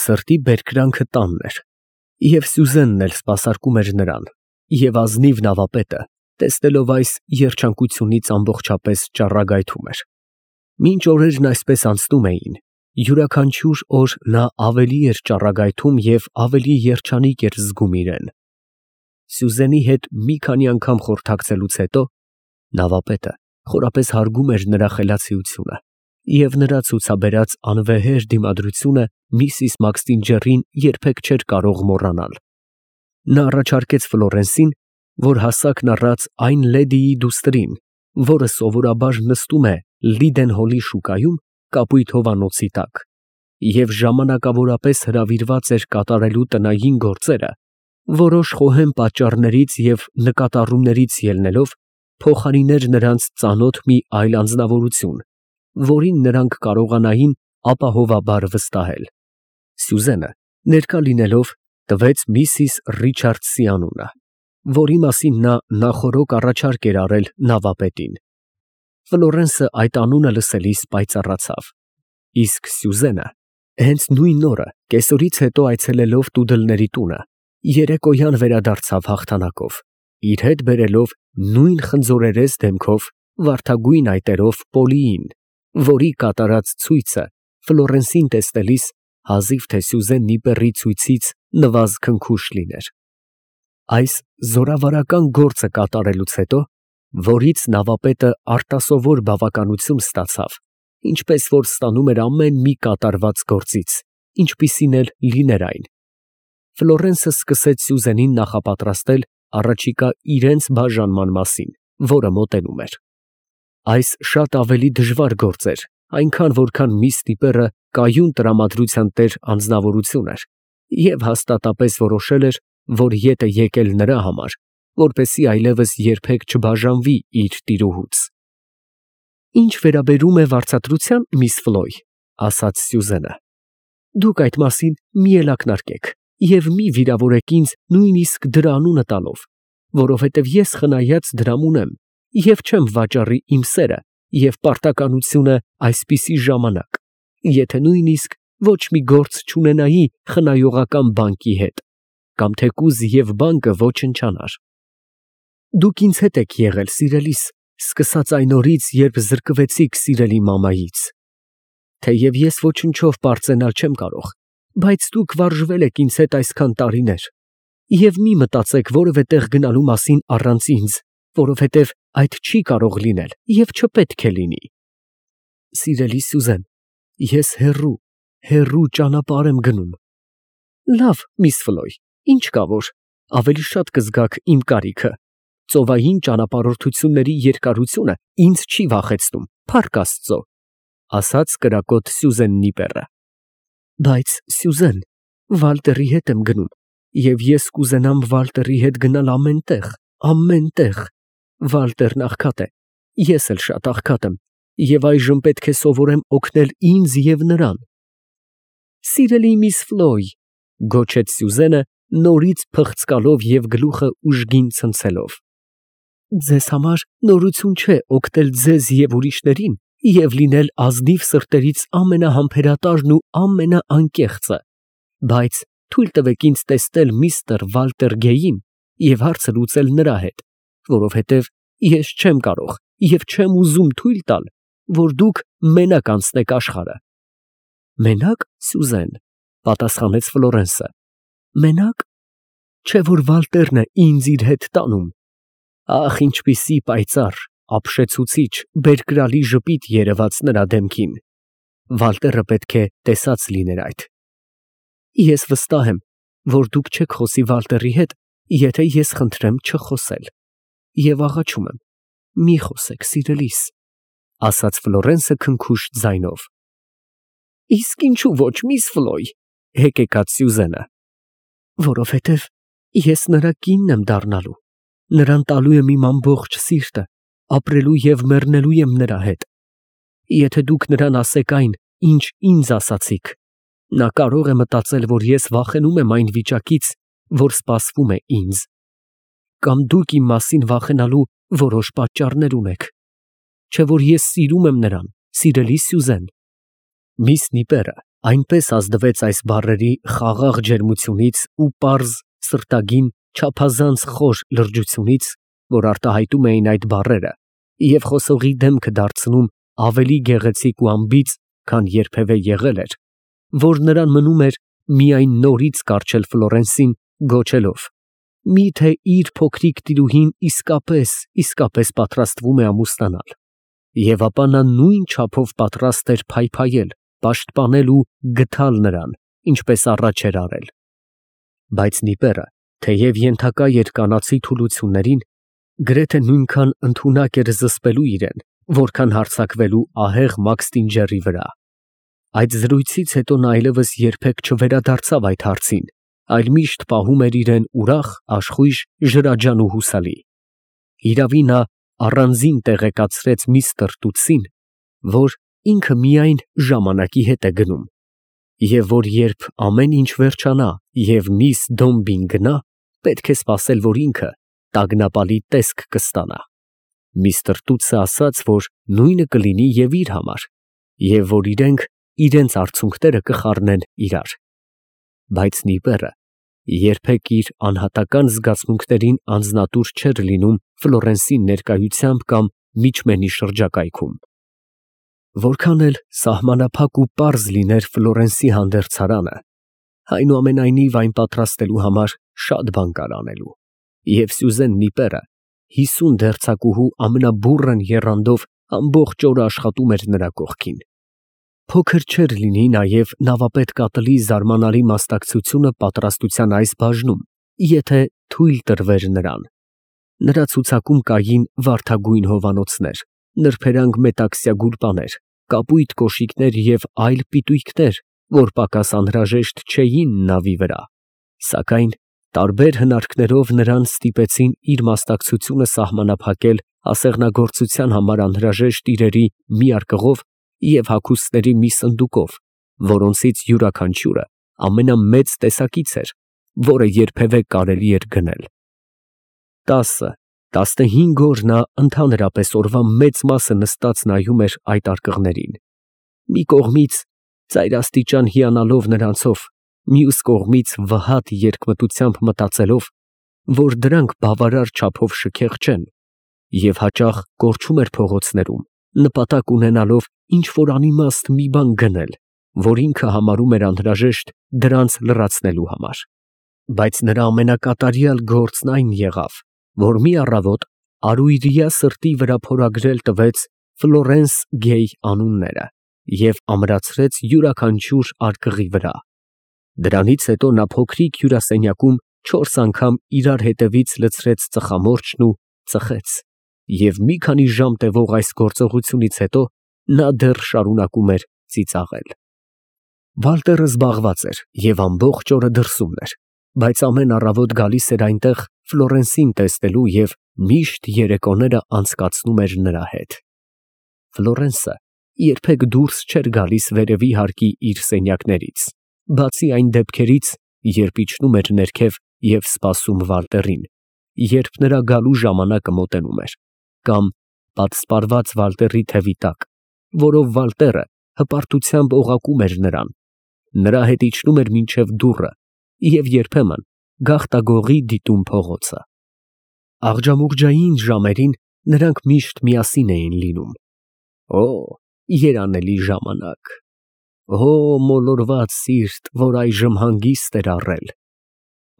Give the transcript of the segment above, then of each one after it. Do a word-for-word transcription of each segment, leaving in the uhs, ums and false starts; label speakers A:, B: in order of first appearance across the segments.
A: Սրտի բերկրանքը տանն էր, և Սյուզենն էլ սպասարկում էր նրան, և ազնիվ նավապետը, տեսնելով այս, երջանկությունից ամբողջապես ճառագայթում էր։ Մինչ օրերն այսպես անցնում էին, յուրաքանչյուր օր նա ավելի էր ճառագայթում և ավելի երջանիկ էր զգում իրեն։ Սյուզենի հետ մի քանի անգամ խորհրդակցելուց հետո նավապետը խորապես հարգում էր նրա խելացիությունը, և նրա ցուցաբերած անվեհեր դիմադրությունը միսիս Մաքսինջեռին երբեք չէր կարող մոռանալ։ Նա առաջարկեց Ֆլորենսին, որ հասակն առած այն լեդիի դուստրին, որը սովորաբար նստում է Լիդենհոլի շուկայում կապույտ հովանոցի տակ, և ժամանակավորապես հրավիրված էր կատարելու տնային գործերը, որոշ խոհեմ պատճառներից և նկատառումներից ելնելով, փոխարիներ նրանց ծանոթ մի այլ անձնավորություն, որին նրանք կարողանային ապահովաբար վստահել։ Սյուզենը, ներկա լինելով, տվեց միսիս Ռիչարդսի անունը, որի մասին նա նախօրոք առաջարկ էր արել նավապետին։ Ֆլորենսը այդ անունը լսելիս պայծառացավ, իսկ Սյուզենը հենց նույն օրը կեսօրից հետո այցելելով տուդլների տունը, երեկոյան վերադարձավ հաղթանակով, իր հետ բերելով նույն խնձորերես դեմքով, վարդագույն այտերով Պոլիին, որի կատարած ցույցը Ֆլորենսին տեսնելիս հազիվ թե Սյուզեն Նիպեռի ցույցից նվազ քնքուշ լիներ։ Այս զորավարական գործը կատարելուց հետո, որից նավապետը արտասովոր բավականություն ստացավ, ինչպես որ ստանում էր ամեն մի կատարված գործից, ինչպիսին էլ լիներ այն, Ֆլորենսը սկսեց Սյուզենին նախապատրաստել առաջիկա իրենց բաժանման մասին, որը մոտենում էր։ Այս շատ ավելի դժվար գործ էր, այնքան որքան միս Նիպեռը կայուն տրամադրության տեր անձնավորություն էր և հաստատապես որոշել էր, որ ետ է եկել նրա համար, որպեսզի այլևս երբեք չբաժանվի իր տիրուհուց։ Ինչ վերաբերում է վարձատրության, միս Ֆլոյ, ասաց Սյուզենը, դուք այդ մասին մի էլ ակնարկեք և մի վիրավորեք ինձ նույնիսկ դրա անունը տալով, որովհետև ես խնայած դրամ ունեմ և չեմ վաճառի իմ սերը և պարտականությունը այսպիսի ժամանակ, եթե նույնիսկ ոչ մի գործ չունենայի խնայողական բանկի հետ, կամ թեկուզ և բանկը ոչնչանար։ Դուք ինձ հետ եք եղել, սիրելիս, սկսած այն օրից, երբ զրկվեցիք սիրելի մամայից։ Թեև ես ոչնչով պարծենալ չեմ կարող, բայց դուք վարժվել եք ինձ հետ այսքան տարիներ, և մի մտածեք որևէ տեղ գնալու մասին առանց ինձ, որովհետև այդ չի կարող լինել և չպետք է լինի։ Սիրելի Սյուզեն, ես հեռու, հեռու ճանապարհ եմ գնում։ Լավ, միս Ֆլոյ, ինչ կա որ, ավելի շատ կզգաք իմ կարիքը։ Ծովային ճանապարհորդությունների երկարությունը ինձ չի վախեցնում, փառք Աստծո, ասաց կրակոտ Սյուզեն Նիպեռը։ Բայց, Սյուզեն, Վալտերի հետ եմ գնում, և ես կուզենամ Վալտերի հետ գնալ ամեն տեղ, ամեն տեղ։ Վալտերն աղքատ է, ես էլ շատ աղքատ եմ, և այժմ պետք է սովորեմ օգնել ինձ և նրան։ Սիրելի միս Ֆլոյ, գոչեց Սյուզենը, նորից փղծկալով և գլուխը ուժգին ցնցելով, ձեզ համար նորություն չէ օգնել ձեզ և ուրիշներին և լինել ազնիվ սրտերից ամենահամբերատարն ու ամենաանկեղծը, բայց թույլ տվեք ինձ տեսնել միստր Վալտեր Գեյին և հարցը լուծել նրա հետ, որովհետև ես չեմ կարող և չեմ ուզում թույլ տալ, որ դուք մենակ անցնեք աշխարհը։ Մենա՞կ, Սյուզեն, պատասխանեց Ֆլորենսը, մենա՞կ, չէ որ Վալտերն է ինձ իր հետ տանում։ Ախ, ինչպիսի պայծառ, ապշեցուցիչ, բերկրալի ժպիտ երևաց նրա դեմքին։ Վալտերը պետք է տեսած լիներ այդ։ Ես վստահ եմ, որ դուք չեք խոսի Վալտերի հետ, եթե ես խնդրեմ չխոսել, և աղաչում եմ, մի խոսեք, սիրելիս, ասաց Ֆլորենսը քնքուշ ձայնով։ Իսկ ինչու ոչ, միս Ֆլոյ, հեկեկաց Սյուզենը։ Որովհետև ես նրա կինն եմ դառնալու, նրան տալու եմ իմ ամբողջ սիրտը, ապրելու և մեռնելու եմ նրա հետ։ Եթե դուք նրան ասեք այն, ինչ ինձ ասացիք, նա կարող է մտածել, որ ես վախենում եմ այն վիճակից, որ սպասվում է ինձ, կամ դուք իմ մասին վախենալու որոշ պատճառներ ունեք, չէ որ ես սիրում եմ նրան, սիրելի Սյուզեն։ Միս Նիպեռը Այնպես ազդվեց այս բառերի խաղաղ ջերմությունից ու պարզ, սրտագին, չափազանց խոր լրջությունից, որ արտահայտում էին այդ բառերը և խոսողի դեմքը դարձնում ավելի գեղեցիկ ու անբիծ, քան երբևէ եղել էր, որ նրան մնում էր միայն նորից կառչել Ֆլորենսին, գոչելով. «Մի՞թե իր փոքրիկ տիրուհին իսկապես, իսկապես պատրաստվում է ամուսնանալ»։ Եվ ապա նա նույն չափով պատրաստ էր փայփայել, պաշտպանել ու գթալ նրան, ինչպես առաջ էր արել։ Բայց Նիպերը, թեև ենթակա էր կանացի թուլություններին, գրեթե նույնքան ընդունակ էր զսպելու իրեն, որքան հարձակվելու ահեղ մաքստինջեռի վրա։ Այդ զրույցից հետո նա այլևս երբեք չվերադարձավ այդ հարցին, այլ միշտ պահում էր իրեն ուրախ, աշխույժ, ջրաջան ու հուսալի։ Հիրավի, նա առանձին տեղեկացրեց միստր Տուտսին, որ ինքը միայն ժամանակի հետ է գնում, և որ երբ ամեն ինչ վերջանա և միս Դոմբին գնա, պետք է սպասել, որ ինքը տագնապալի տեսք կստանա։ Միստր Տուտսը ասաց, որ նույնը կլինի և իր համար, և որ իրենք իրենց արցունքները կխառնեն իրար։ Բայց Նիպերը երբեք իր անհատական զգացմունքներին անձնատուր չէր լինում Ֆլորենսի ներկայությամբ կամ միջմենի շրջակայքում։ Որքան էլ սահմանափակ ու պարզ լիներ Ֆլորենսի հանդերձարանը, այնուամենայնիվ այն պատրաստելու համար շատ բան կար անելու, և Սյուզեն Նիպերը հիսուն դերձակուհու ամենաբուռն եռանդով ամբողջ օրը աշխատում էր նրա կողքին։ Փոքր չէր լինի նաև նավապետ կատլի զարմանալի մասնակցությունը պատրաստության այս բաժնում, եթե թույլ տրվեր նրան։ Նրա ցուցակում կային վարդագույն հովանոցներ, նրբերանգ մետաքսյա գուլպաներ, կապույտ կոշիկներ և այլ պիտույքներ, որ պակաս անհրաժեշտ չէին նավի վրա, սակայն տարբեր հնարքներով նրան ստիպեցին իր մասնակցությունը սահմանափակել ասեղնագործության համար անհրաժեշտ իրերի մի արկղով և հագուստների մի սնդուկով, որոնցից յուրաքանչյուրը ամենամեծ տեսակից էր, որը երբևէ կարելի էր գնել։ Տասը, տասնհինգ օր նա ընդհանրապես օրվա մեծ մասը նստած նայում էր այդ արկղերին, մի կողմից ծայրաստիճան հիանալով նրանցով, մյուս կողմից վհատ երկմտությամբ մտածելով, որ դրանք բավարար չափով շքեղ չեն, և հաճախ կորչում էր փողոցներում, նպատակ ունենալով ինչ֊որ անիմաստ մի բան գնել, որ ինքը համարում էր անհրաժեշտ դրանց լրացնելու համար։ Բայց նրա ամենակատարյալ գործն այն եղավ, որ մի առավոտ արույրյա սրտի վրա փորագրել տվեց Ֆլորենս Գեյ անունները և ամրացրեց յուրաքանչյուր արկղի վրա։ Դրանից հետո նա փոքրիկ հյուրասենյակում չորս անգամ իրար հետևից լցրեց ծխամորճն ու ծխեց, և մի քանի ժամ տևող այս գործողությունից հետո նա դեռ շարունակում էր ծիծաղել։ Վալտերը զբաղված էր և ամբողջ օրը դրսումն էր, բայց ամեն առավոտ գալիս էր այնտեղ Ֆլորենսին տեսնելու և միշտ երեկոները անցկացնում էր նրա հետ։ Ֆլորենսը երբեք դուրս չէր գալիս վերևի հարկի իր սենյակներից, բացի այն դեպքերից, երբ իջնում էր ներքև և սպասում Վալտերին, երբ նրա գալու ժամանակը մոտենում էր, կամ պատսպարված Վալտերի թևի տակ, որով Վալտերը հպարտությամբ օղակում էր նրան, նրա հետ իջնում էր մինչև դուռը և երբեմն գաղտագողի դիտում փողոցը։ Աղջամուղջային ժամերին նրանք միշտ միասին էին լինում։ Օ, երանելի ժամանակ, օ, մոլորված սիրտ, որ այժմ հանգիստ էր առել,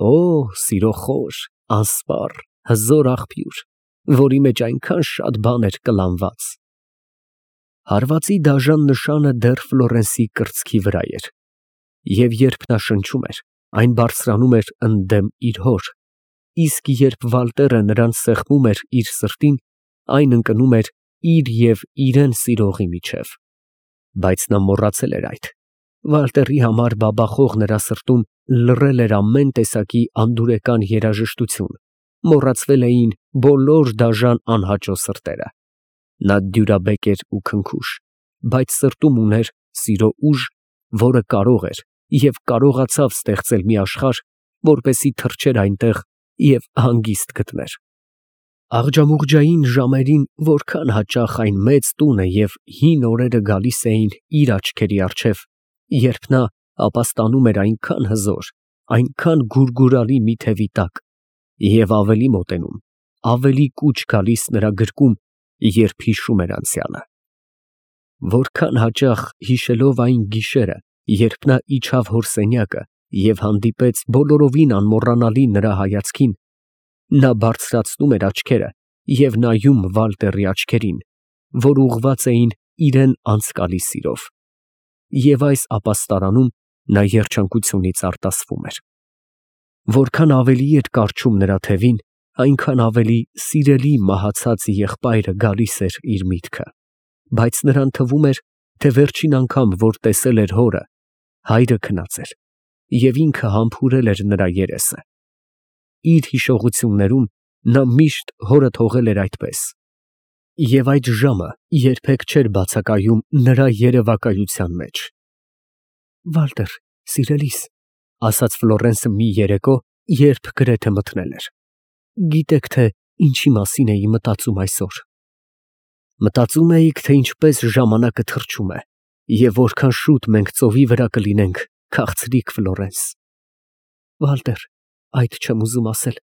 A: օ, սիրոխոր, անսպառ, հզոր աղբյուր, որի մեջ այնքան շատ բան էր կլանված։ Հարվածի դաժան նշանը դեռ Ֆլորենսի կրծքի վրա էր, և երբ նա շնչում էր, այն բարձրանում էր ընդդեմ իր հոր, իսկ երբ Վալտերը նրան սեղմում էր իր սրտին, այն ընկնում էր իր և իրան սիրողի միջև։ Բայց նա մոռացել էր այդ. Վալտերի համար բաբախող նրա սրտում լռել էր ամեն տեսակի անդուրեկան երաժշտություն, մոռացվել էին բոլոր դաժան անհաճո սրտերը։ Նա դյուրաբեկ էր ու քնքուշ, բայց սրտում ուներ սիրո ուժ, որը կարող էր և կարողացավ ստեղծել մի աշխարհ, որպեսզի թռչեր այնտեղ և հանգիստ գտներ։ Աղջամուղջային ժամերին որքան հաճախ այն մեծ տունը և հին օրերը գալիս էին իր աչքերի առջև, երբ նա ապաստանում էր այնքան հզոր, այնքան գուրգուրալի մի թևի տակ, և ավելի մոտենում, ավելի կուչ գալիս նրա գրկում, երբ հիշում էր անցյալը։ Որքան հաճախ հիշելով այն գիշերը, երբ նա իջավ հոր սենյակը և հանդիպեց բոլորովին անմոռանալի նրա հայացքին, նա բարձրացնում էր աչքերը և նայում Վալտերի աչքերին, որ ուղղված էին իրան անցկալի սիրով, և այս ապաստարանում նա երջանկությունից արտասվում էր։ Որքան ավելի էր կառչում նրա թևին, այնքան ավելի սիրելի մահացած եղբայրը գալիս էր իր միտքը, բայց նրան թվում էր, թե վերջին անգամ, որ տեսել էր հորը, հայրը քնած էր, և ինքը համբուրել էր նրա երեսը։ Իր հիշողություններում նա միշտ հորը թողել էր այդպես, և այդ ժամը երբեք չէր բացակայում նրա երևակայության մեջ։ «Վալտեր, սիրելիս», ֊ ասաց Ֆլորենսը մի երեկո, երբ գրեթե մթնել էր, ֊ գիտեք, թե ինչի մասին էի մտածում այսօր։ Մտածում էիք, թե ինչպես ժամանակը թռչում է, և որքան շուտ մենք ծովի վրա կլինենք, քաղցրիկ Ֆլորենս։ Վալտեր, այդ չեմ ուզում ասել,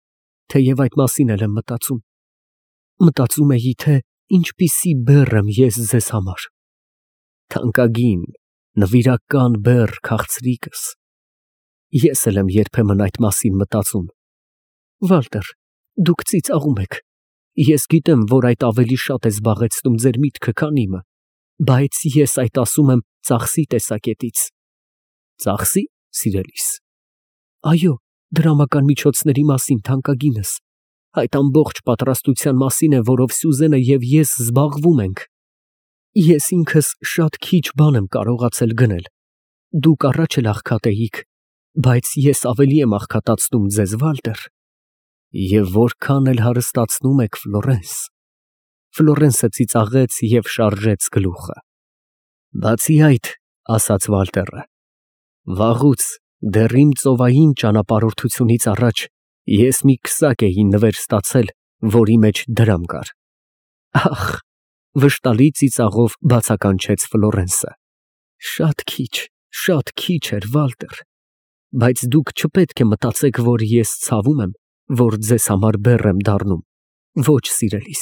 A: թեև այդ մասին էլ եմ մտածում։ Մտածում էի, թե ինչպիսի բեռ եմ ես ձեզ համար։ Թանկագին, նվիրական բեռ քաղցրիկս։ Ես էլ եմ երբեմն այդ մասին մտածում։ Վալտեր, դուք ծիծաղում եք։ Ես գիտեմ, որ այդ ավելի շատ է զբաղեցնում ձեր միտքը, քան իմը, բայց ես այդ ասում եմ ծախսի տեսակետից։ Ծախսի, սիրելիս։ Այո, դրամական միջոցների մասին, թանկագինս։ Այդ ամբողջ պատրաստության մասին է, որով Սյուզենը և ես զբաղվում ենք։ Ես ինքս շատ քիչ բան եմ կարողացել գնել։ Դուք առաջ էլ աղքատ էիք, բայց ես ավելի եմ աղքատացնում ձեզ, Վալտեր։ Եվ որքան էլ հարստացնում եք, Ֆլորենս։ Ֆլորենսը ծիծաղեց և շարժեց գլուխը։ Բացի այդ, ասաց Վալտերը, վաղուց, դեռ իմ ծովային ճանապարհորդությունից առաջ, ես մի քսակ էի նվեր ստացել, որի մեջ դրամ կար։ Ախ, վշտալի ծիծաղով բացականչեց Ֆլորենսը։ Շատ քիչ, շատ քիչ էր, Վալտեր, բայց դուք չպետք է մտածեք, որ ես ցավում եմ, որ ձեզ համար բեռ եմ դառնում։ Ոչ, սիրելիս,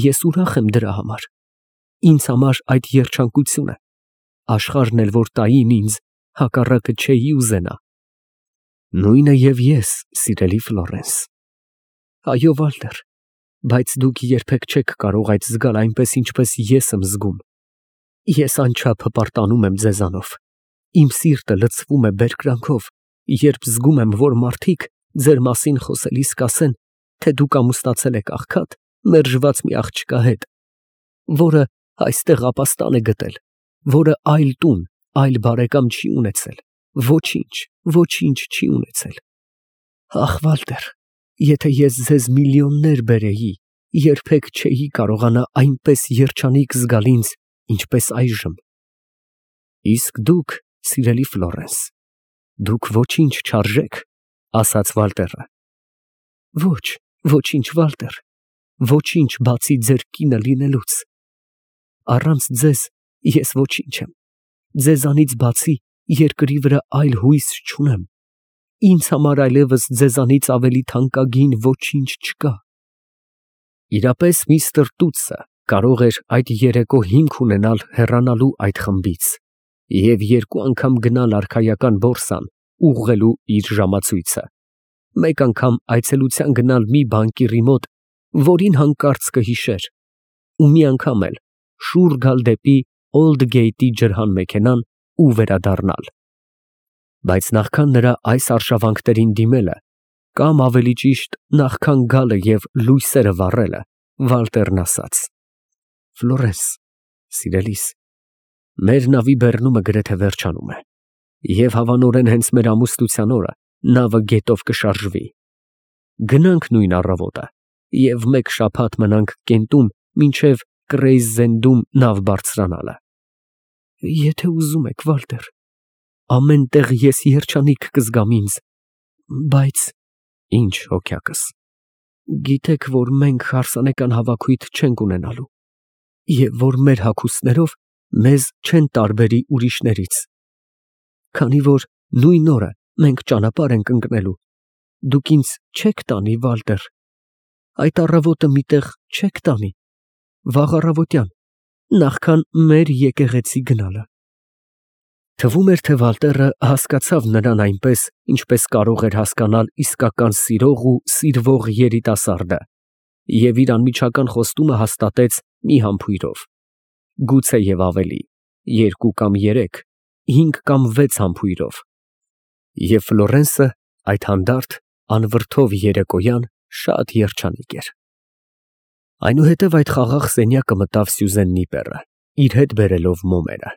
A: ես ուրախ եմ դրա համար։ Ինձ համար այդ երջանկություն է։ Աշխարհն էլ որ տային ինձ, հակառակը չէի ուզենա։ Նույնը և ես, սիրելի Ֆլորենս։ Այո, Վալտեր, բայց դուք երբեք չեք կարող այդ զգալ այնպես, ինչպես ես եմ զգում։ Ես անչափ հպարտանում եմ ձեզանով։ Իմ սիրտը լցվում է բերկրանքով, երբ զգում եմ, որ մարդիկ ձեր մասին խոսելիս կասեն, թե դուք ամուսնացել եք աղքատ, մերժված մի աղջկա հետ, որը այստեղ ապաստան է գտել, որը այլ տուն, այլ բարեկամ չի ունեցել, ոչինչ, ոչինչ չի ունեցել։ Ախ, Վալտեր, եթե ես ձեզ միլիոններ բերեի, երբեք չէի կարողանա այնպես երջանիկ զգալ ինձ, ինչպես այժմ։ Իսկ դուք, սիրելի Ֆլորենս, դուք ոչինչ չարժեք, ասաց Վալտերը։ Ոչ, ոչինչ, Վալտեր, ոչինչ բացի ձեր կինը լինելուց։ Առանց ձեզ ես ոչինչ եմ։ Ձեզանից բացի երկրի վրա այլ հույս չունեմ։ Ինձ համար այլևս ձեզանից ավելի թանկագին ոչինչ չկա։ Իրապես միստր Տուտսը կարող էր այդ երեկո հիմք ունենալ հեռանալու այդ խմբից և երկու անգամ գնալ արքայական բորսան ուղղելու իր ժամացույցը, մեկ անգամ այցելության գնալ մի բանկիրի մոտ, որին հանկարծ կհիշեր, ու մի անգամ էլ շուռ գալ դեպի Օլդգեյթի ջրհան մեքենան ու վերադառնալ։ Բայց նախքան նրա այս արշավանքներին դիմելը, կամ ավելի ճիշտ, նախքան գալը և լույսերը վառելը, Վալտերն ասաց. Ֆլորենս, սիրելիս, մեր նավի բեռնումը գրեթե վերջանում է, և հավանորեն հենց մեր ամուսնության օրը նավը գետով կշարժվի։ Գնանք նույն առավոտը և մեկ շաբաթ մնանք Կենտում մինչև Կրեյզզենդում նավ բարձրանալը։ Եթե ուզում եք, Վալտեր, ամեն տեղ ես երջանիկ կզգամ ինձ, բայց… Ինչ, հոգյակս, գիտեք, որ մենք հարսանեկան հավաքույթ չենք ունենալու, և որ մեր հագուստներով մեզ չեն տարբերի ուրիշներից։ քանի որ նույն օրը մենք ճանապարհ ենք ընկնելու, դուք ինձ չեք տանի, Վալտեր, այդ առավոտը մի տեղ չեք տանի, վաղ առավոտյան, նախքան մեր եկեղեցի գնալը։ Թվում էր, թե Վալտերը հասկացավ նրան այնպես, ինչպես կարող էր հասկանալ իսկական սիրող ու սիրվող երիտասարդը, և իր անմիջական խոստումը հաստատեց մի համբույրով, գուցե և ավելի, երկու կամ երեք, հինգ կամ վեց համբույրով, և Ֆլորենսը այդ հանդարտ, անվրդով երեկոյան շատ երջանիկ էր։ Այնուհետև այդ խաղաղ սենյակը մտավ Սյուզեննի բեռը, իր հետ բերելով մոմերը։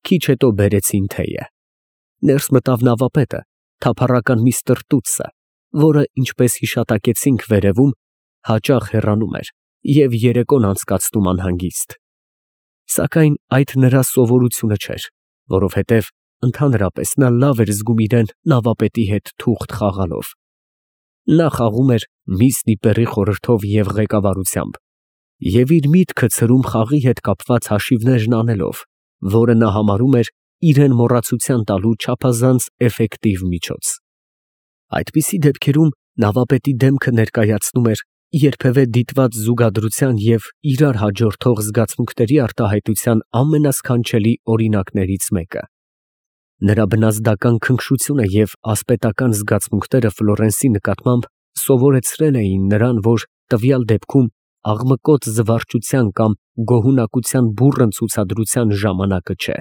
A: Քիչ հետո բերեցին թեյը։ Ներս մտավ նավապետը, թափառական միստր Տուտսը, որը, ինչպես հիշատակեցինք վերևում, հաճախ հեռանում էր և երեկոն անցկացնում անհանգիստ։ Սակայն այդ նրա սովորությունը չէր, որովհետև ընդհանրապես նա լավ էր զգում իրեն նավապետի հետ թուղթ խաղալով։ Նա խաղում էր միս Նիպերի խորհրդով և ղեկավարությամբ և իր միտքը ցրում խաղի հետ կապված հաշիվներն անելով, որը նա համարում էր իրան մոռացության տալու չափազանց էֆեկտիվ միջոց։ Այդպիսի դեպքերում նավապետի դեմքը ներկայացնում էր երբևէ դիտված զուգադրության և իրար հաջորդող զգացմունքների արտահայտության ամենասքանչելի օրինակներից մեկը։ Նրա բնազդական քնքշությունը և ասպետական զգացմունքները Ֆլորենսի նկատմամբ սովորեցրել էին նրան, որ տվյալ դեպքում աղմկոտ զվարճության կամ գոհունակության բուռն ցուցադրության ժամանակը չէ։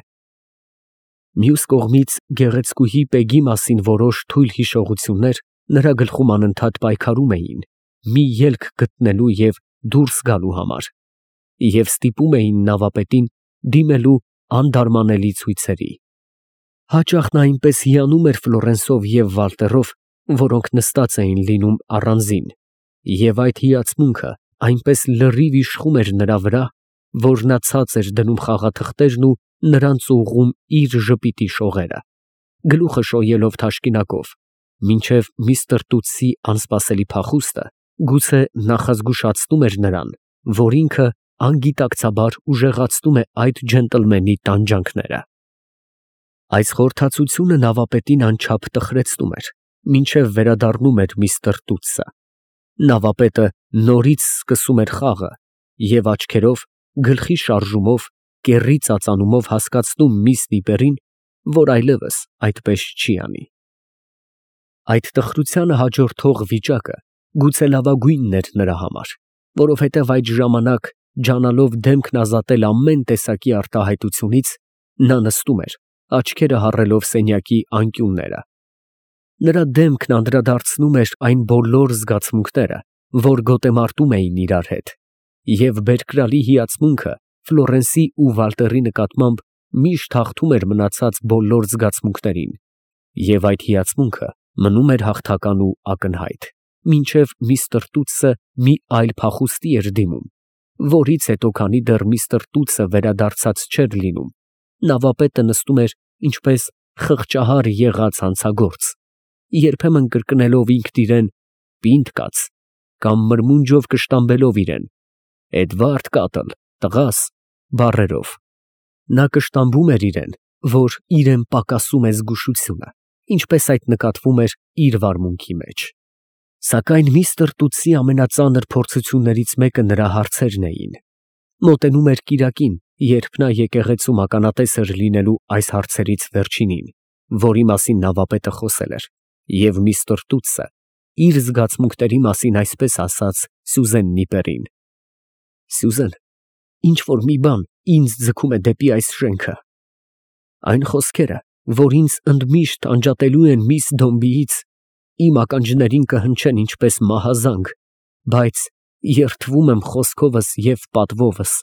A: Մյուս կողմից, գեղեցկուհի Պեգի մասին որոշ թույլ հիշողություններ նրա գլխում անընդհատ պայքարում էին մի ելք գտնելու և դուրս գալու համար և ստիպում էին նավապետին դիմելու անդարմանելի ցույցերի։ Հաճախ նա այնպես հիանում էր Ֆլորենսով և Վալտերով, որոնք նստած էին լինում առանձին, և այդ հիացմունքը այնպես լրիվ իշխում էր նրա վրա, որ նա ցած էր դնում խաղաթղթերն ու նրանց ուղղում իր ժպիտի շողերը, գլուխը շոյելով թաշկինակով, մինչև միստր Տուտսի անսպասելի փախուստը գուցե նախազգուշացնում էր նրան, որ ինքը անգիտակցաբար ուժեղացնում է այդ ջենտլմենի տանջանքները։ Այս խորհրդածությունը նավապետին անչափ տխրեցնում էր, մինչև վերադառնում էր միստր Տուտսը։ Նավապետը նորից սկսում էր խաղը և աչքերով, գլխի շարժումով, կեռի ծածանումով հասկացնում միս Նիպերին, որ այլևս այդպես չի անի։ Այդ տխրությանը հաջորդող վիճակը գուցե լավագույնն էր նրա համար, որովհետև այդ ժամանակ, ջանալով դեմքն ազատել ամեն տեսակի արտահայտությունից, նա նստում էր, աչքերը հառելով սենյակի անկյունները։ Նրա դեմքն անդրադարձնում էր այն բոլոր զգացմունքները, որ գոտեմարտում էին իրար հետ, և բերկրալի հիացմունքը Ֆլորենսի ու Վալտերի նկատմամբ միշտ հաղթում էր մնացած բոլոր զգացմունքներին, և այդ հիացմունքը մնում էր հաղթական ու ակնհայտ, մինչև միստր Տուտսը մի այլ փախուստի էր դիմում, որից հետո, քանի դեռ միստր Տուտսը վերադարձած չէր լինում, նավապետը նստում էր ինչպես խղճահար եղած հանցագործ, երբեմն կրկնելով ինքն իրեն «պինդ կաց» կամ մրմունջով կշտամբելով իրեն «Էդվարդ Կատլ, տղաս» բառերով։ Նա կշտամբում էր իրեն, որ իրան պակասում է զգուշությունը, ինչպես այդ նկատվում էր իր վարմունքի մեջ։ Սակայն միստր Տուտսի ամենածանր փորձություններից մեկը նրա հարցերն էին։ Մոտենում էր կիրակին, երբ նա եկեղեցում ականատես էր լինելու այս հարցերից վերջինին, որի մասին նավապետը խոսել էր, և միստր Տուտսը իր զգացմունքների մասին այսպես ասաց Սյուզեն Նիպերին. «Սյուզեն, ինչ֊որ մի բան ինձ ձգում է դեպի այս շենքը։ Այն խոսքերը, որ ինձ ընդմիշտ անջատելու են միս Դոմբիից, իմ ականջներին կհնչեն ինչպես մահազանգ, բայց երդվում եմ խոսքովս և պատվովս,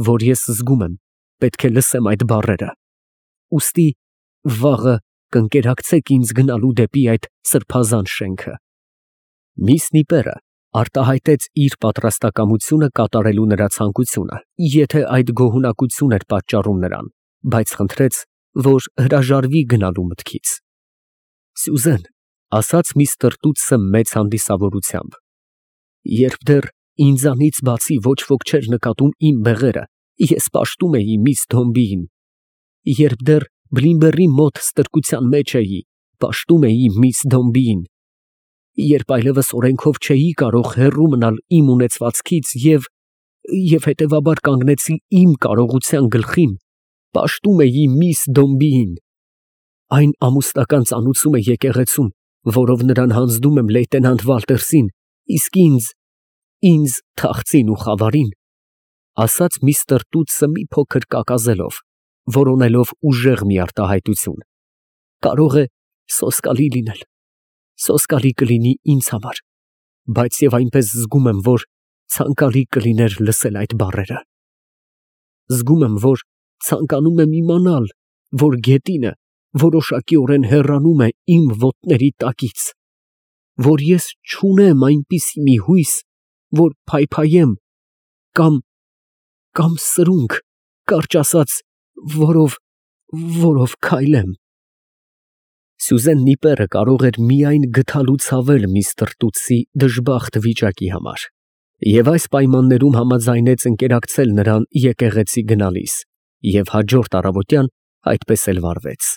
A: որ ես զգում եմ, պետք է լսեմ այդ բառերը։ Ուստի վաղը կընկերակցեք ինձ գնալու դեպի այդ սրբազան շենքը»։ Միս Նիպերը արտահայտեց իր պատրաստակամությունը կատարելու նրա ցանկությունը, եթե այդ գոհունակություն էր պատճառում նրան, բայց խնդրեց, որ հրաժարվի գնալու մտքից։ «Սյուզեն», ֊ ասաց միստր Տուտսը մեծ հանդիսավորությամբ, «երբ դեռ ինձանից բացի ոչ ոք չէր նկատում իմ բեղերը, ես պաշտում էի միս Դոմբիին, երբ դեռ Բլինբերի մոտ ստրկության մեջ էի, պաշտում էի միս Դոմբիին, երբ այլևս օրենքով չէի կարող հեռու մնալ իմ ունեցվածքից և, և հետևաբար կանգնեցի իմ կարողության գլխին, պաշտում էի միս Դոմբիին, այն ամուսնական ծանուցումը եկեղեցում, որով նրան հանձնում եմ լեյտենանտ Վալտերսին, իսկ ինձ, ինձ թախծին ու խավարին, ֊ ասաց միստր Տուտսը մի փոքր կակազելով, որոնելով ուժեղ մի արտահայտություն, ֊ կարող է սոսկալի լինել, սոսկալի կլինի ինձ համար, բայց և այնպես զգում եմ, որ ցանկալի կլիներ լսել այդ բառերը. զգում եմ, որ ցանկանում եմ իմանալ, որ գետինը որոշակիորեն հեռանում է իմ ոտների տակից, որ ես չունեմ այնպիսի մի հույս, որ փայփայեմ, կամ, կամ սրունք, կարճ ասած, որով, որով քայլեմ… Սյուզեն Նիպերը կարող էր միայն գթալու ցավել միստր Տուտսի դժբախտ վիճակի համար և այս պայմաններում համաձայնեց ընկերակցել նրան եկեղեցի գնալիս և հաջորդ առավոտյան այդպես էլ վարվեց։